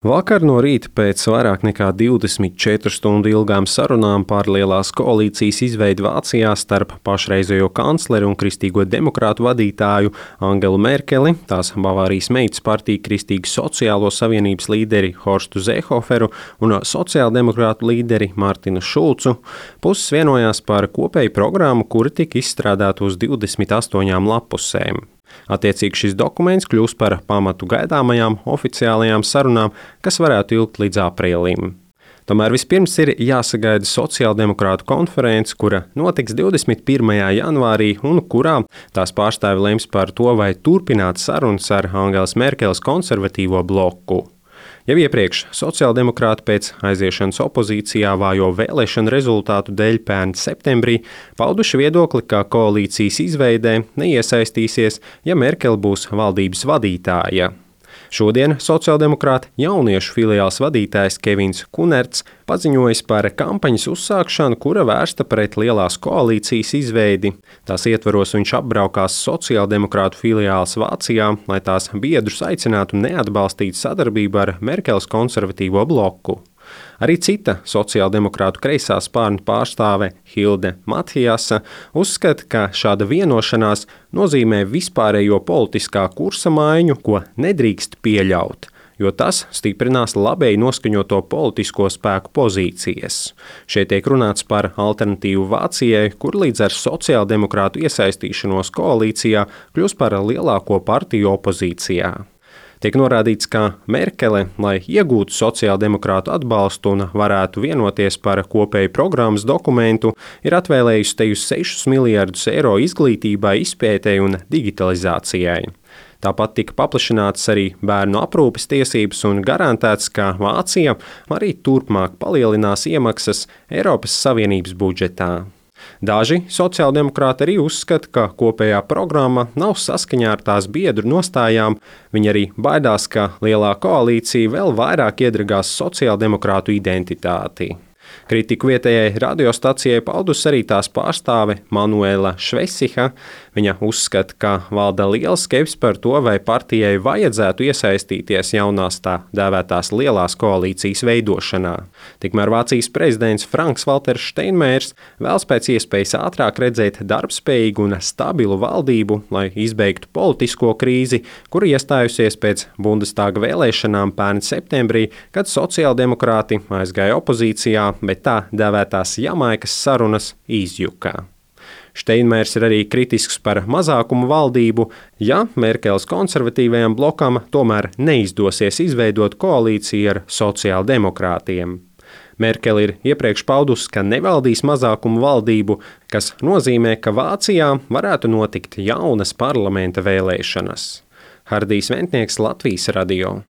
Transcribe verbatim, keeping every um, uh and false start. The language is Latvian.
Vakar no rīta pēc vairāk nekā divdesmit četru stundu ilgām sarunām par lielās koalīcijas izveidi Vācijā starp pašreizējo kancleri un kristīgo demokrātu vadītāju Angelu Merkeli, tās Bavārijas meitas partiju Kristīgo sociālo savienības līderi Horstu Seehoferu un sociāldemokrātu līderi Martinu Šulcu, puses vienojās par kopēju programmu, kura tika izstrādāta uz divdesmit astoņām lapusēm. Attiecīgi šis dokuments kļūs par pamatu gaidāmajām oficiālajām sarunām, kas varētu ilgt līdz aprīlim. Tomēr vispirms ir jāsagaida sociāldemokrātu konference, kura notiks divdesmit pirmajā janvārī un kurā tās pārstāvi lems par to, vai turpināt sarunas ar Angelas Merkeles konservatīvo bloku. Jau iepriekš sociāldemokrāti pēc aiziešanas opozīcijā vājo vēlēšanu rezultātu dēļ pērn septembrī pauduši viedokli, ka koalīcijas izveidē neiesaistīsies, ja Merkele būs valdības vadītāja. Šodien sociāldemokrāta jauniešu filiāls vadītājs Kevins Kunerts paziņojis par kampaņas uzsākšanu, kura vērsta pret lielās koalīcijas izveidi. Tās ietvaros viņš apbraukās sociāldemokrātu filiāls Vācijā, lai tās biedrus aicinātu neatbalstīt sadarbību ar Merkeles konservatīvo bloku. Arī cita sociāldemokrātu kreisā spārna pārstāve Hilde Mathiasa uzskata, ka šāda vienošanās nozīmē vispārējo politiskā kursa maiņu, ko nedrīkst pieļaut, jo tas stiprinās labēji noskaņoto politisko spēku pozīcijas. Šeit tiek runāts par alternatīvu Vācijai, kur līdz ar sociāldemokrātu iesaistīšanos koalīcijā kļūs par lielāko partiju opozīcijā. Tiek norādīts, ka Merkele, lai iegūtu sociāldemokrātu atbalstu un varētu vienoties par kopēju programmas dokumentu, ir atvēlējusi te uz sešus miljardus eiro izglītībai, izpētei un digitalizācijai. Tāpat tika paplašinātas arī bērnu aprūpes tiesības un garantēts, ka Vācija arī turpmāk palielinās iemaksas Eiropas Savienības budžetā. Daži sociāldemokrāti arī uzskata, ka kopējā programma nav saskaņā ar tās biedru nostājām. Viņi arī baidās, ka lielā koalīcija vēl vairāk iedragās sociāldemokrātu identitāti. Kritiku vietējai radiostacijai paudus arī tās pārstāve Manuela Švesiha. Viņa uzskata, ka valda liela skepse par to, vai partijai vajadzētu iesaistīties jaunās tā dēvētās lielās koalīcijas veidošanā. Tikmēr Vācijas prezidents Franks Valters Steinmeiers vēlas pēc iespējas ātrāk redzēt darbspējīgu un stabilu valdību, lai izbeigtu politisko krīzi, kura iestājusies pēc Bundestāga vēlēšanām pērn septembrī, kad sociāldemokrāti aizgāja opozīcijā, bet tā dēvētās Jamaikas sarunas izjuka. Steinmeiers ir arī kritisks par mazākumu valdību, ja Merkeles konservatīvajam blokam tomēr neizdosies izveidot koalīciju ar sociāldemokrātiem. Merkele ir iepriekš paudusi, ka nevaldīs mazākumu valdību, kas nozīmē, ka Vācijā varētu notikt jaunas parlamenta vēlēšanas. Hardijs Ventnieks, Latvijas radio.